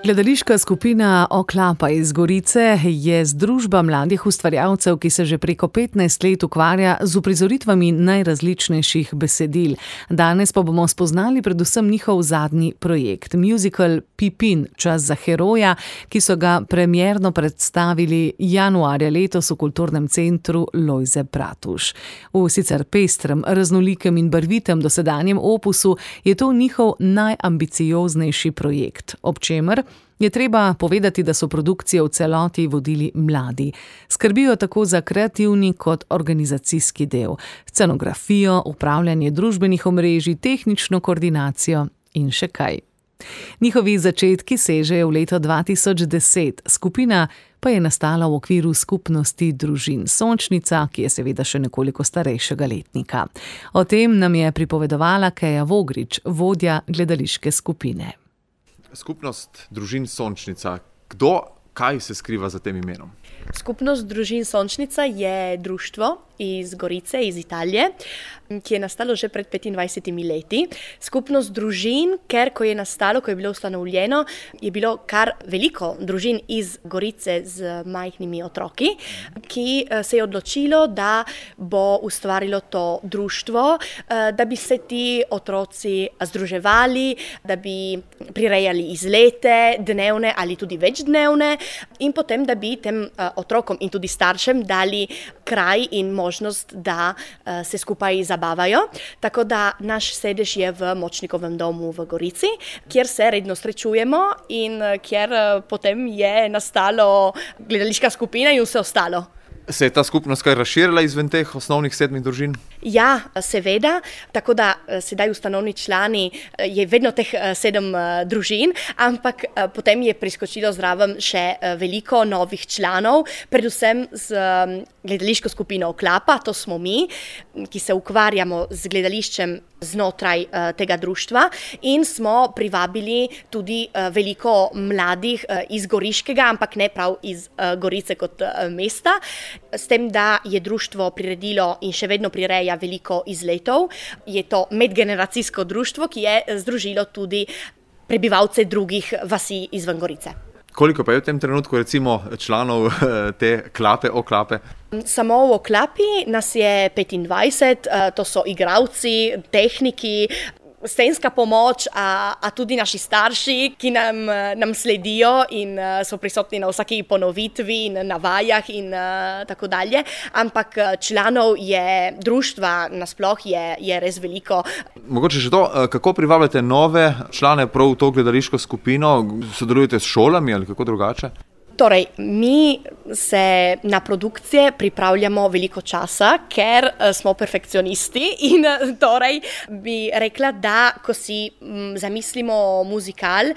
Gledališka skupina Oklapa iz Gorice je združba mladih ustvarjalcev, ki se že preko 15 let ukvarja z uprizoritvami najrazličnejših besedil. Danes pa bomo spoznali predvsem njihov zadnji projekt, musical Pipin, čas za heroja, ki so ga premierno predstavili januarja letos v Kulturnem centru Lojze Bratuš. V sicer pestrem, raznolikem in barvitem dosedanjem opusu je to njihov najambicioznejši projekt, ob čemer je treba povedati, da so produkcije v celoti vodili mladi. Skrbijo tako za kreativni kot organizacijski del, scenografijo, upravljanje družbenih omrežij, tehnično koordinacijo in še kaj. Njihovi začetki sežejo v leto 2010, skupina pa je nastala v okviru skupnosti družin Sončnica, ki je seveda še nekoliko starejšega letnika. O tem nam je pripovedovala Keja Vogrič, vodja gledališke skupine. Skupnost družin Sončnica. Kdo, kaj se skriva za tem imenom? Skupnost družin Sončnica je društvo iz Gorice, iz Italije, ki je nastalo že pred 25 leti. Skupnost družin, ker ko je nastalo, ko je bilo ustanovljeno, je bilo kar veliko družin iz Gorice z majhnimi otroki, ki se je odločilo, da bo ustvarilo to društvo, da bi se ti otroci združevali, da bi prirejali izlete, dnevne ali tudi večdnevne, in potem, da bi tem otrokom in tudi staršem dali kraj in možnost, da se skupaj zabavajo. Tako da naš sedež je v Močnikovem domu v Gorici, kjer se redno srečujemo in kjer potem je nastalo gledališka skupina in vse ostalo. Se je ta skupnost kaj razširila izven teh osnovnih 7 družin? Ja, seveda, tako da sedaj ustanovni člani je vedno teh 7 družin, ampak potem je priskočilo zraven še veliko novih članov, predvsem z gledališko skupino Oklapa, to smo mi, ki se ukvarjamo z gledališčem znotraj tega društva, in smo privabili tudi veliko mladih iz Goriškega, ampak ne prav iz Gorice kot mesta, s tem, da je društvo priredilo in še vedno prireja veliko izletov. Je to medgeneracijsko društvo, ki je združilo tudi prebivalce drugih vasi izven Gorice. Koliko pa je v tem trenutku recimo članov te Oklape? Samo v Oklapi nas je 25, to so igralci, tehniki, scenska pomoč, a tudi naši starši, ki nam sledijo in so prisotni na vsaki ponovitvi in na vajah in tako dalje. Ampak članov je društva nasploh je res veliko. Mogoče še to, kako privabljate nove člane prav v to gledališko skupino? Sodelujete s šolami ali kako drugače? Torej, mi se na produkcije pripravljamo veliko časa, ker smo perfekcionisti, in torej bi rekla, da ko si zamislimo muzikal,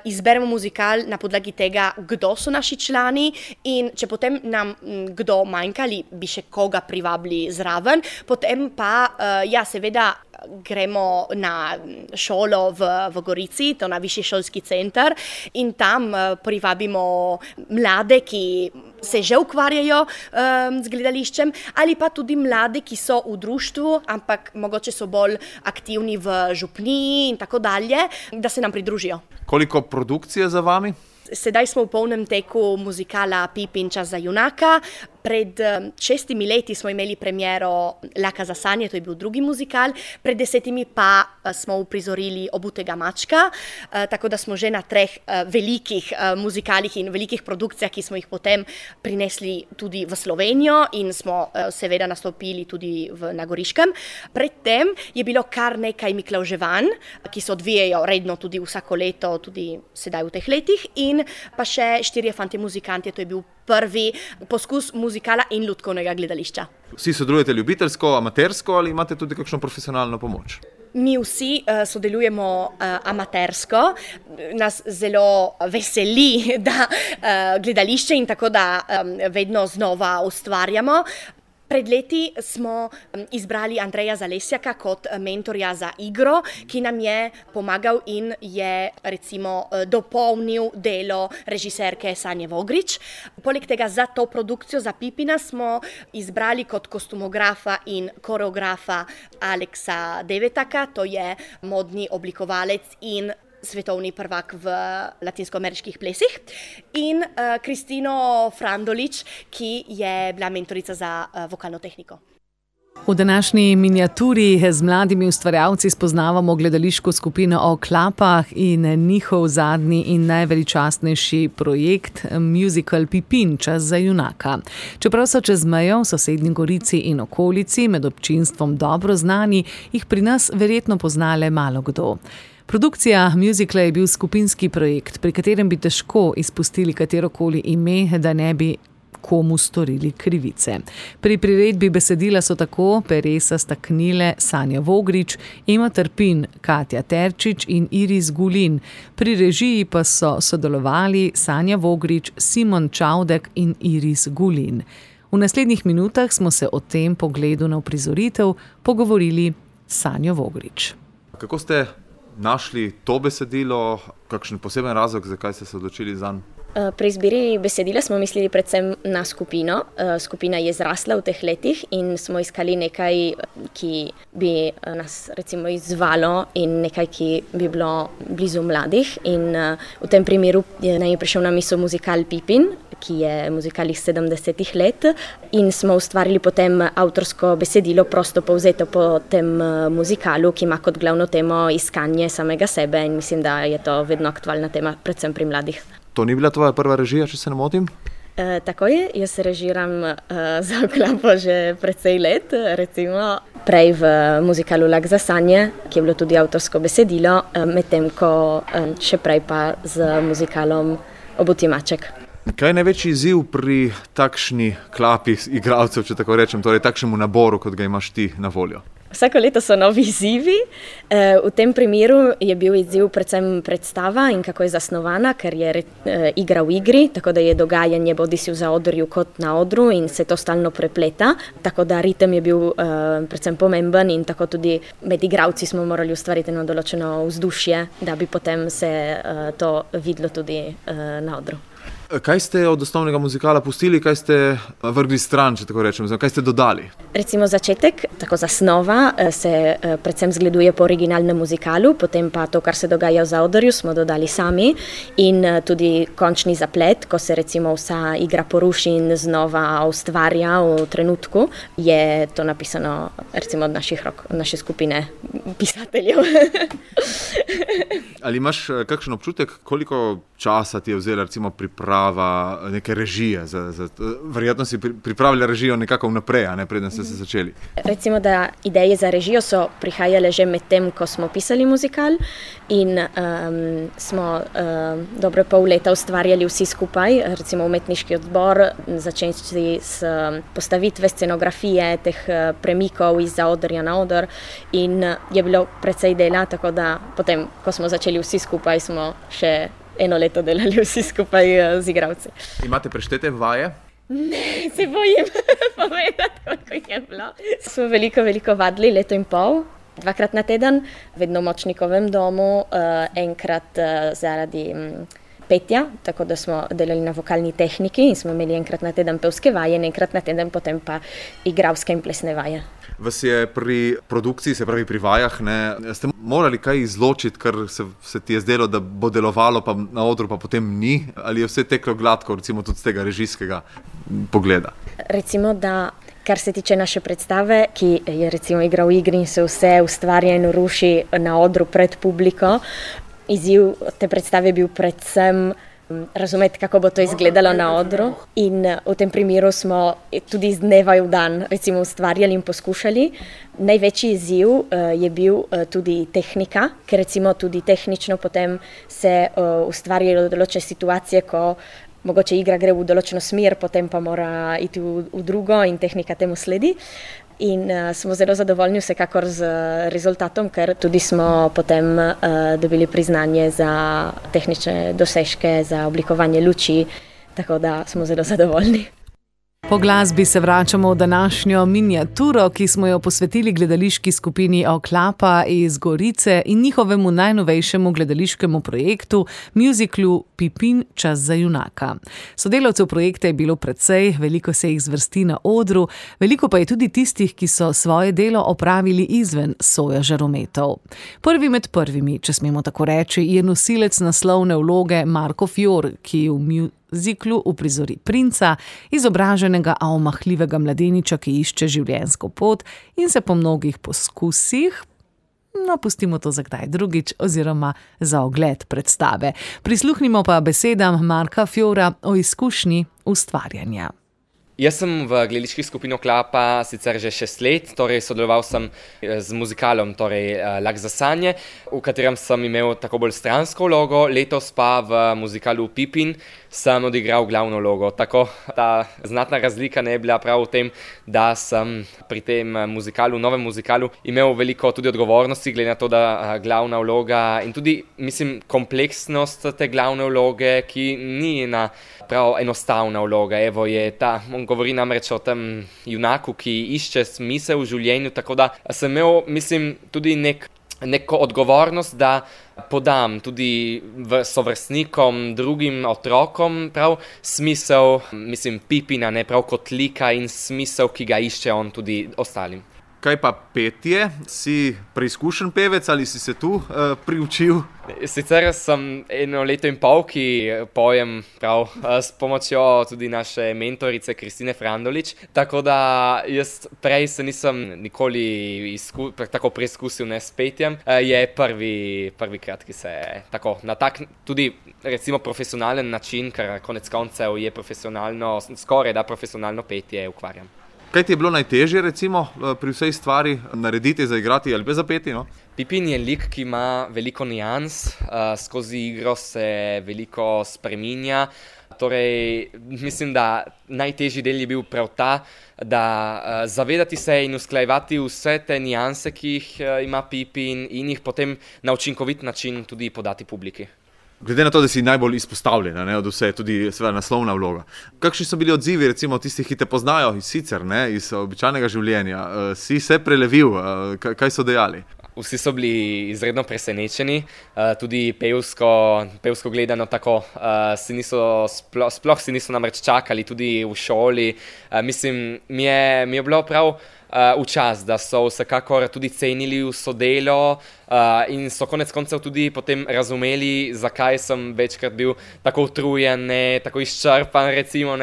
izberemo muzikal na podlagi tega, kdo so naši člani, in če potem nam kdo manjka ali bi še koga privabili zraven, potem pa, ja, seveda, gremo na šolo v Gorici, to na Višji šolski center, in tam privabimo mlade, ki se že ukvarjajo z gledališčem, ali pa tudi mlade, ki so v društvu, ampak mogoče so bolj aktivni v župniji in tako dalje, da se nam pridružijo. Koliko produkcije za vami? Sedaj smo v polnem teku muzikala Pipin, čas za junaka. Pred 6 leti smo imeli premiero Laka za sanje, to je bil drugi muzikal, pred 10 pa smo uprizorili Obutega mačka, tako da smo že na 3 velikih muzikalih in velikih produkcijah, ki smo jih potem prinesli tudi v Slovenijo in smo seveda nastopili tudi na Goriškem. Predtem je bilo kar nekaj miklavževanj, ki se odvijajo redno tudi vsako leto, tudi sedaj v teh letih, in pa še 4 fantje muzikanti, to je bil prvi poskus muzikala in lutkovnega gledališča. Vsi sodelujete ljubiteljsko, amatersko ali imate tudi kakšno profesionalno pomoč? Mi vsi sodelujemo amatersko, nas zelo veseli, da gledališče in tako da vedno znova ustvarjamo. Pred leti smo izbrali Andreja Zalesjaka kot mentorja za igro, ki nam je pomagal in je recimo dopolnil delo režiserke Sanje Vogrič. Poleg tega za to produkcijo, za Pipina, smo izbrali kot kostumografa in koreografa Aleksa Devetaka, to je modni oblikovalec in svetovni prvak v latinskoameriških plesih, in Kristino Frandolič, ki je bila mentorica za vokalno tehniko. V današnji miniaturi z mladimi ustvarjalci spoznavamo gledališko skupino O klapah in njihov zadnji in najveličastnejši projekt musical Pipin, čas za junaka. Čeprav so čez mejo v sosednji Gorici in okolici med občinstvom dobro znani, jih pri nas verjetno pozna le malo kdo. Produkcija muzikla je bil skupinski projekt, pri katerem bi težko izpustili katerokoli ime, da ne bi komu storili krivice. Pri priredbi besedila so tako peresa staknile Sanja Vogrič, Ema Trpin, Katja Terčič in Iris Gulin. Pri režiji pa so sodelovali Sanja Vogrič, Simon Čaudek in Iris Gulin. V naslednjih minutah smo se o tem pogledu na uprizoritev pogovorili s Sanjo Vogrič. Kako ste našli to besedilo, kakšen poseben razlog, zakaj ste se odločili zanj? Pri izbiri besedila smo mislili predvsem na skupino. Skupina je zrasla v teh letih in smo iskali nekaj, ki bi nas recimo izzvalo in nekaj, ki bi bilo blizu mladih. In v tem primeru nam je prišel na misel muzikal Pipin, ki je muzikal iz 70-ih let, in smo ustvarili potem avtorsko besedilo, prosto povzeto po tem muzikalu, ki ima kot glavno temo iskanje samega sebe, in mislim, da je to vedno aktualna tema, predvsem pri mladih. To ni bila tvoja prva režija, če se ne motim? Tako je, jaz režiram za O klapo že precej let, recimo prej v muzikalu Lak za sanje, ki je bilo tudi avtorsko besedilo, medtem ko še prej pa z muzikalom Obuti maček. Kaj je največji izziv pri takšni klapi igralcev, če tako rečem, torej takšnemu naboru, kot ga imaš ti na voljo? Vsako leto so novi izzivi. V tem primeru je bil izziv predvsem predstava in kako je zasnovana, ker je igra v igri, tako da je dogajanje bodisi v zaodrju kot na odru in se to stalno prepleta. Tako da ritem je bil predvsem pomemben in tako tudi med igralci smo morali ustvariti eno določeno vzdušje, da bi potem se to videlo tudi na odru. Kaj ste od osnovnega muzikala pustili, kaj ste vrgli stran, če tako rečem, kaj ste dodali? Recimo začetek, tako zasnova, se predvsem zgleduje po originalnem muzikalu, potem pa to, kar se dogaja v zaodrju, smo dodali sami, in tudi končni zaplet, ko se recimo vsa igra poruši in znova ustvarja v trenutku, je to napisano recimo od naših rok, od naše skupine pisateljev. Ali imaš kakšen občutek, koliko časa ti je vzela recimo priprava neke režije? Verjetno si pripravila režijo nekako vnaprej, a ne preden ste se začeli. Recimo, da ideje za režijo so prihajale že med tem, ko smo pisali muzikal, in smo dobro pol leta ustvarjali vsi skupaj, recimo umetniški odbor, začenši s postavitve scenografije, teh premikov iz zaodrja na odr, in je bilo precej dela, tako da potem, ko smo začeli vsi skupaj, smo še eno leto delali vsi skupaj z igralci. Imate preštete vaje? Ne, se bojim povedati, koliko je bilo. Smo veliko vadili, leto in pol, 2-krat na teden, vedno v Močnikovem domu, enkrat zaradi petja, tako da smo delali na vokalni tehniki in smo imeli enkrat na teden pevske vaje, enkrat na teden potem pa igralske in plesne vaje. Vas je pri produkciji, se pravi pri vajah, ste morali kaj izločiti, kar se ti je zdelo, da bo delovalo pa na odru, pa potem ni? Ali je vse teklo gladko, recimo tudi z tega režijskega pogleda? Recimo, da kar se tiče naše predstave, ki je recimo igra v igri in se vse ustvarja in ruši na odru pred publiko, izziv te predstave je bil predvsem razumeti, kako bo to izgledalo na odru, in v tem primeru smo tudi iz dneva v dan recimo ustvarjali in poskušali. Največji izziv je bil tudi tehnika, ker recimo tudi tehnično potem se ustvarjajo določene situacije, ko mogoče igra gre v določeno smer, potem pa mora iti v drugo in tehnika temu sledi. In smo zelo zadovoljni vsekakor z rezultatom, ker tudi smo potem dobili priznanje za tehnične dosežke, za oblikovanje luči, tako da smo zelo zadovoljni. Po glasbi se vračamo v današnjo miniaturo, ki smo jo posvetili gledališki skupini Oklapa iz Gorice in njihovemu najnovejšemu gledališkemu projektu, muziklu Pipin, čas za junaka. Sodelavcev projekta je bilo precej, veliko se jih zvrsti na odru, veliko pa je tudi tistih, ki so svoje delo opravili izven soja žarometov. Prvi med prvimi, če smemo tako reči, je nosilec naslovne vloge Marko Fior, ki v muziklu uprizori princa, izobraženega, a omahljivega mladeniča, ki išče življenjsko pot in se po mnogih poskusih, pustimo to za kdaj drugič, oziroma za ogled predstave. Prisluhnimo pa besedam Marka Fiora o izkušnji ustvarjanja. Jaz sem v gledališki skupini Oklapa sicer že 6 let, torej sodeloval sem z muzikalom, torej Lak za sanje, v katerem sem imel tako bolj stransko vlogo, letos pa v muzikalu Pipin sem odigral glavno vlogo. Tako ta znatna razlika ne je bila prav v tem, da sem pri tem muzikalu, novem muzikalu, imel veliko tudi odgovornosti, glede na to, da glavna vloga in tudi, mislim, kompleksnost te glavne vloge, ki ni ena prav enostavna vloga. Evo je ta, on govori namreč o tem junaku, ki išče smisel v življenju, tako da sem imel, mislim, tudi neko odgovornost, da podam tudi sovrstnikom, drugim otrokom prav smisel, mislim, Pipina, ne prav kot lika in smisel, ki ga išče on tudi ostalim. Kaj pa petje? Si preizkušen pevec ali si se tu priučil? Sicer sem 1 leto in pol, ki pojem prav s pomočjo tudi naše mentorice Kristine Frandolič, tako da jaz prej se nisem nikoli tako preizkusil ne s petjem. Je prvikrat, ki se tako na tak tudi recimo profesionalen način, ker konec koncev je profesionalno, skoraj da profesionalno petje ukvarjam. Kaj ti je bilo najtežje, recimo, pri vsej stvari narediti, zaigrati ali pa zapeti? No? Pipin je lik, ki ima veliko nijans, skozi igro se veliko spreminja. Torej, mislim, da najtežji del je bil prav ta, da zavedati se in usklajevati vse te nijanse, ki jih ima Pipin, in jih potem na učinkovit način tudi podati publiki. Glede na to, da si najbolj izpostavljen, od vse, tudi seveda naslovna vloga. Kakšni so bili odzivi, recimo tistih, ki te poznajo sicer, iz običajnega življenja? Si se prelevil, kaj so dejali? Vsi so bili izredno presenečeni, tudi pevsko gledano tako, sploh si niso namreč čakali, tudi v šoli. Mislim, mi je bilo prav v čas, da so vsekakor tudi cenili vso delo in so konec koncev tudi potem razumeli, zakaj sem večkrat bil tako utrujen, tako izčrpan, recimo,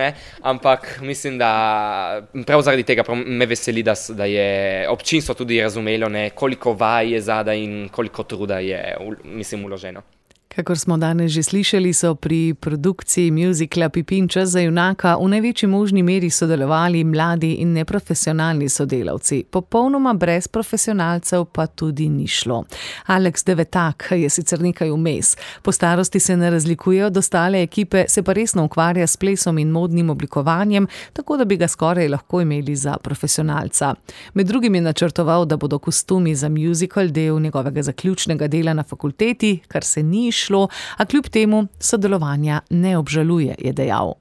ampak mislim, da prav zaradi tega me veseli, da je občinstvo tudi razumelo, koliko vaj je zadaj in koliko truda je, mislim, vloženo. Kakor smo danes že slišali, so pri produkciji muzikla Pipin, čas za junaka v največji možni meri sodelovali mladi in neprofesionalni sodelavci. Popolnoma brez profesionalcev pa tudi ni šlo. Alex Devetak je sicer nekaj vmes. Po starosti se ne razlikuje od ostale ekipe, se pa resno ukvarja s plesom in modnim oblikovanjem, tako da bi ga skoraj lahko imeli za profesionalca. Med drugim je načrtoval, da bodo kostumi za muzikal del njegovega zaključnega dela na fakulteti, kar se ni šlo, a kljub temu sodelovanja ne obžaluje, je dejal.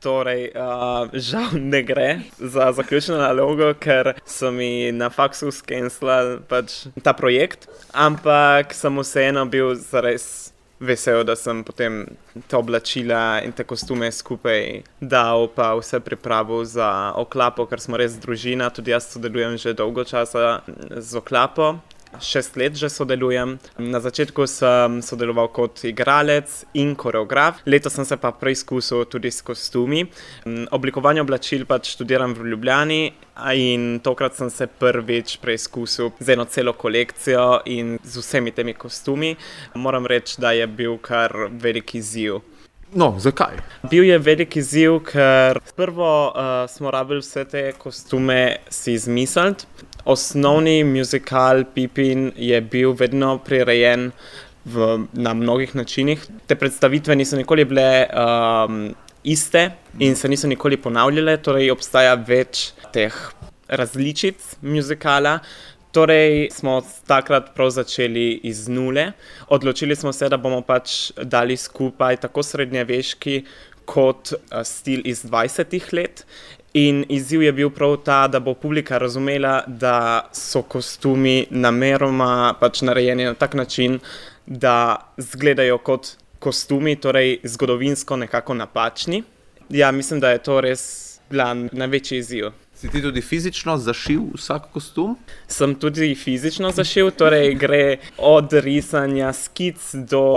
Torej, žal ne gre za zaključno nalogo, ker so mi na faksu skenslali ta projekt, ampak sem vseeno bil zares vesel, da sem potem te oblačila in te kostume skupaj dal, pa vse pripravil za Oklapo, ker smo res družina, tudi jaz sodelujem že dolgo časa z Oklapo. 6 let že sodelujem. Na začetku sem sodeloval kot igralec in koreograf. Letos sem se pa preizkusil tudi s kostumi. Oblikovanje oblačil študiram v Ljubljani in tokrat sem se prvič preizkusil z eno celo kolekcijo in z vsemi temi kostumi. Moram reči, da je bil kar velik izziv. No, zakaj? Bil je velik izziv, ker prvo smo rabili vse te kostume si izmisliti. Osnovni muzikal Pipin je bil vedno prirejen na mnogih načinih. Te predstavitve niso nikoli bile iste in se niso nikoli ponavljale, torej obstaja več teh različic muzikala. Torej smo takrat prav začeli iz nule. Odločili smo se, da bomo dali skupaj tako srednjeveški kot stil iz 20 let. In izziv je bil prav ta, da bo publika razumela, da so kostumi nameroma pač narejeni na tak način, da izgledajo kot kostumi, torej zgodovinsko nekako napačni. Ja, mislim, da je to res bila največji izziv. Si ti tudi fizično zašil vsak kostum? Sem tudi fizično zašil, torej gre od risanja skic do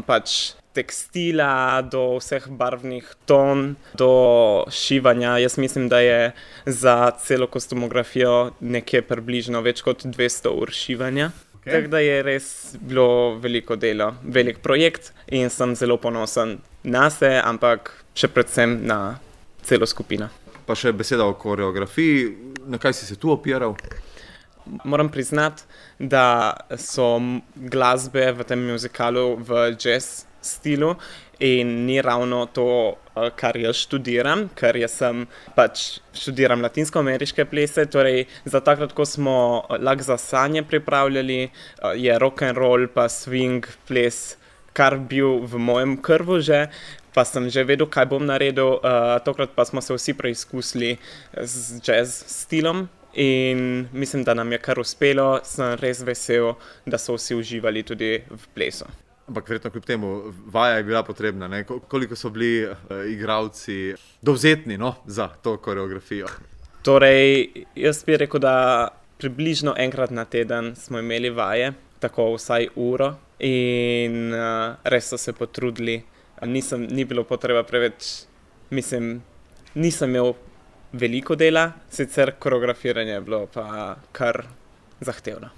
pač tekstila, do vseh barvnih ton, do šivanja. Jaz mislim, da je za celo kostumografijo nekje približno več kot 200 ur šivanja. Tako da je res bilo veliko delo, velik projekt in sem zelo ponosen na se, ampak še predvsem na celo skupino. Pa še beseda o koreografiji, na kaj si se tu opiral? Moram priznati, da so glasbe v tem muzikalu v jazz stilu in ni ravno to, kar jaz študiram, ker jaz pač študiram latinsko-ameriške plese, torej za takrat, ko smo Lag za sanje pripravljali, je rock and roll pa swing ples, kar bil v mojem krvu že, pa sem že vedel, kaj bom naredil, tokrat pa smo se vsi preizkusili z jazz stilom in mislim, da nam je kar uspelo, sem res vesel, da so vsi uživali tudi v plesu. Ampak verjetno kljub temu, vaja je bila potrebna, ne? Koliko so bili igralci dovzetni za to koreografijo? Torej, jaz bi rekel, da približno enkrat na teden smo imeli vaje, tako vsaj uro in res so se potrudili. Ni bilo potreba preveč, mislim, nisem imel veliko dela, sicer koreografiranje je bilo pa kar zahtevno.